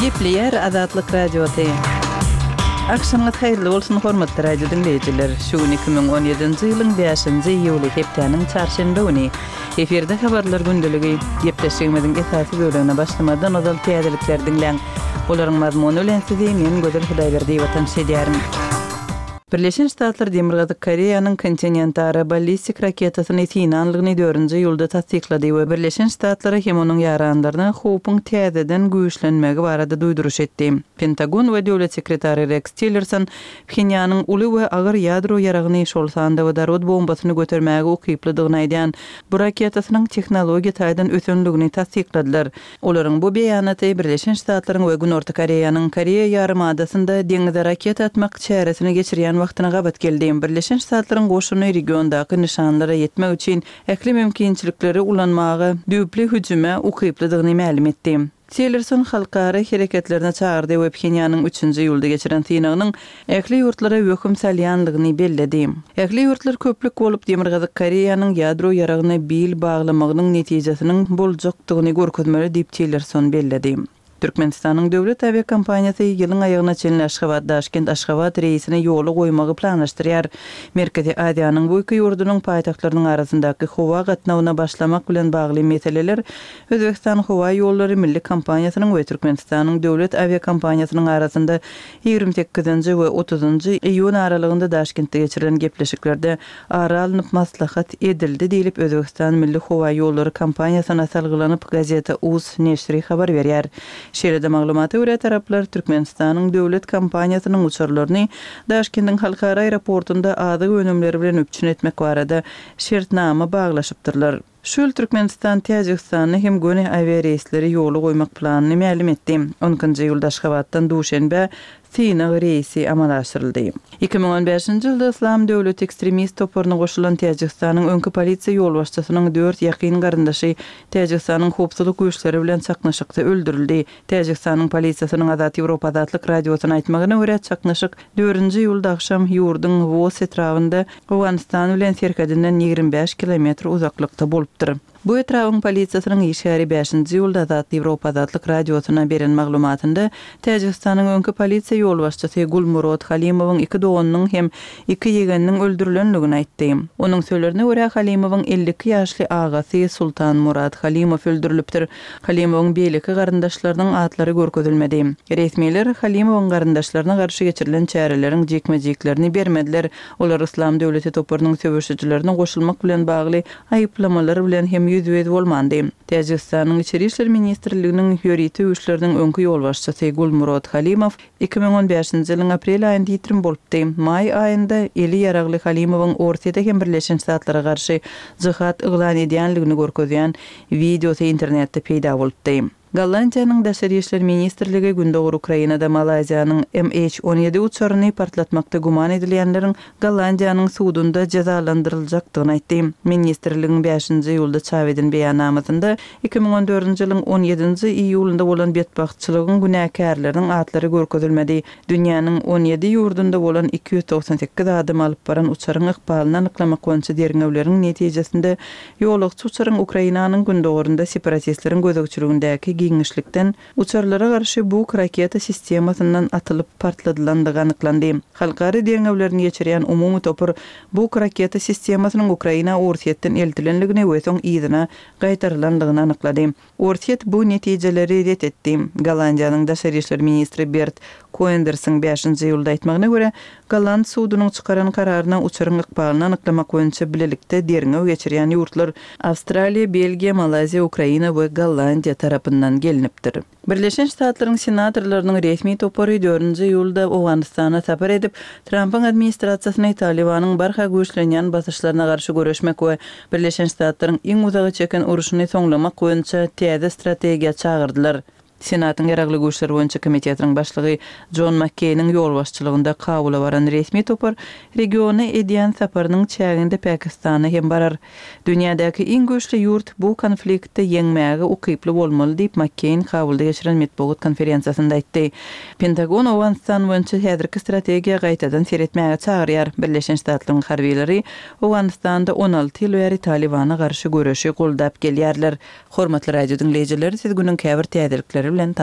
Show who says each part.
Speaker 1: Gepleýär Azatlyk Radiosy. Agşamyňyz haýyrly bolsun, hormatly radio diňleýjiler! Şu gün 2017-nji ýylyň bäşinji iýuly, hepdäniň çarşenbe güni. Efirde Habarlar gündeligi. Gepleşigimiziň esasy bölegine başlamazdan ozal täzelikleri diňläň. Olaryň mazmuny bilen sizi men Gözel Hudaýberdiýewa tanyş edýärin. Birleşen Ştatlar Demirgazyk Koreýanyň kontinentara ballistik raketasyny synanlygyny dördünji iýulda tassyklady we Birleşen Ştatlara hem onuň ýaranlaryna howpuň täzeden güýçlenmegi barada duýduryş etdi. Pentagon we döwlet sekretary Reks Tillerson Phenýanyň uly we agyr ýadro ýaragyny, şol sanda wodorod bombasyny götermäge ukyplydygyny aýdýan bu raketasynyň tehnologiýa taýdan ösenligini tassykladylar. Olaryň bu beýanaty Birleşen Ştatlaryň we Günorta Koreýanyň Koreýa ýarymadasynda deňize raketa atmak çäresini geçirýän wagtyna gabat geldi. Birleşen Ştatlaryň goşuny regiondaky nyşanlara ýetmek üçin ähli mümkinçilikleri ulanmaga düýpli hüjüme ukyplydygyny mälim etdi. Tillerson halkara hereketlerine çagyrdy we Phenýanyň üçünji iýulda geçiren synagynyň ähli ýurtlara wehim salýanlygyny belledi. Ähli ýurtlar köplük bolup Demirgazyk Koreýanyň ýadro ýaragyna bil baglamagynyň netijesiniň boljakdygyny görkezmeli diýip Tillerson belledi. Türkmenistanyň döwlet awiakompaniýasy ýylyň aýagyna çenli Aşgabat-Daşkent-Aşgabat reýsini ýola goýmagy planlaşdyrýar. Merkezi Aziýanyň bu iki ýurdunyň paýtagtlarynyň arasyndaky howa gatnawyna başlamak bilen bagly meseleler Özbegistan howa ýollary milli kompaniýasynyň we Türkmenistanyň döwlet awiakompaniýasynyň arasynda 28-nji we 30-njy iýun aralygynda Daşkentde geçirilen gepleşiklerde ara alnyp maslahat edildi diýlip, Özbegistan milli howa ýollary kompaniýasyna salgylanyp, Gazeta. Uz neşiri habar berýär. Şeýle-de maglumata görä, taraplar Türkmenistanyň döwlet kompaniýasynyň uçarlaryny Daşkendiň halkara aeroportunda azyk önümleri bilen üpjün etmek barada şertnama baglaşypdyrlar. Şu ýyl Türkmenistan Täjigistanda hem göni awiareýsleri ýola goýmak planyny mälim etdi. On ikinji iýulda Aşgabatdan Duşenbä synag reýsi amala aşyryldy. 2015-nji ýylda Yslam döwleti ekstremist toparyna goşulan Täjigistanyň öňki polisiýa ýolbaşçysynyň dört ýakyn garyndaşy Täjigistanyň howpsuzlyk güýçleri bilen çaknyşykda öldürildi. Täjigistanyň polisiýasynyň Azat Ýewropa Azatlyk Radiosyna aýtmagyna görä, çaknyşyk dördünji iýulda agşam ýurduň Wos etrabynda Owganystan bilen serhedinden 25 kilometr uzaklykda bolupdyr. Bu etrabyň polisiýasynyň işgäri bäşinji iýulda Azat Ýewropa Azatlyk Radiosyna beren maglumatynda Täjigistanyň öňki polisiýa ýolbaşçysy Gulmurod Halimowyň iki doganynyň hem iki ýegeniniň öldürilendigini aýtdy. Onuň sözlerine görä, Halimowyň 52 ýaşly agasy Sultanmurad Halimow öldürilipdir. Halimowyň beýleki garyndaşlarynyň atlary görkezilmedi. Resmiler Halimowyň garyndaşlaryna garşy geçirilen çäreleriň jikme-jiklerini bermediler. Olar Yslam döwleti toparynyň söweşijilerine goşulmak bilen bagly aýyplamalar bilen hem ýüzbe-ýüz bolmandy. Täjigistanyň Içeri işler ministrliginiň ýörite güýçleriniň öňki ýolbaşçysy Gulmurod Halimow 2015-nji ýylyň aprel aýynda ýitirim bolupdy. Maý aýynda eli ýaragly Halimowyň Orsýete hem Birleşen Ştatlara garşy jyhat yglan edýänligini görkezýän wideosy internetde peýda bolupdy. Gollandiýanyň Daşary işler ministrligi Gündogar Ukrainada Malaýziýanyň MH 17 uçaryny partlatmakda güman edilýänleriň Gollandiýanyň sudunda jezalandyryljakdygyny aýtdy. Ministrligiň bäşinji iýulda çap eden beýannamasynda 2014-nji ýylyň on ýedinji iýulynda bolan betbagtçylygyň günäkärleriniň atlary görkezilmedi. Dünýäniň on ýedi ýurdunda bolan 298 adamy alyp baran uçaryň ykbalyny anyklamak boýunça derňewleriň netijesinde Ýolagçy uçaryň Ukrainanyň gündogarynda separatistleriň gözegçiligindäki giňişlikden uçarlara garşy Buk raketa sistemasyndan atylyp partladylandygy anyklandy. Halkara derňewlerini geçirýän umumy topar Buk raketa sistemasynyň Ukraina Orsýetden eltilendigini we soň yzyna gaýtarylandygyny anyklady. Orsýet bu netijeleri ret etdi. Gollandiýanyň daşary işler ministri Bert Koendersiň bäşinji iýulda aýtmagyna görä, golland sudunyň çykaran kararyna uçaryň ykbalyny anyklamak boýunça bilelikde derňew geçirýän ýurtlar Awstraliýa, Belgiýa, Malaýziýa, Ukraina we Gollandiýa tarapyndan gelnipdir. Birleşen Ştatlaryň senatorlarynyň resmi topary dördünji iýulda Owganystana sapar edip, Trampyň administrasiýasyny Talybanyň barha güýçlenýän basyşlaryna garşy göreşmek we Birleşen Ştatlaryň iň uzaga çeken urşuny soňlamak boýunça täze strategiýa çagyrdylar. Senatyň Ýaragly Güýçler boýunça komitetiniň başlygy Jon Makkeýniň ýolbaşçylygynda Kabula baran resmi topar regiona edýän saparynyň çäginde Pakistana hem barar. Dünýädäki iň güýçli ýurt bu konfliktde ýeňmäge ukyply bolmaly diýip, Makkeýn Kabulda geçiren metbugat konferensiýasynda aýtdy. Pentagon Owganystan boýunça häzirki strategiýa gaýtadan seretmäge çagyrýar. Birleşen Ştatlaryň harbylary Owganystanda 16 ýyl bäri Talybana garşy göreşi goldap gelýärler. Hormatly radio diňleýjiler, siz günüň käbir täzelikleri bilen tanyş.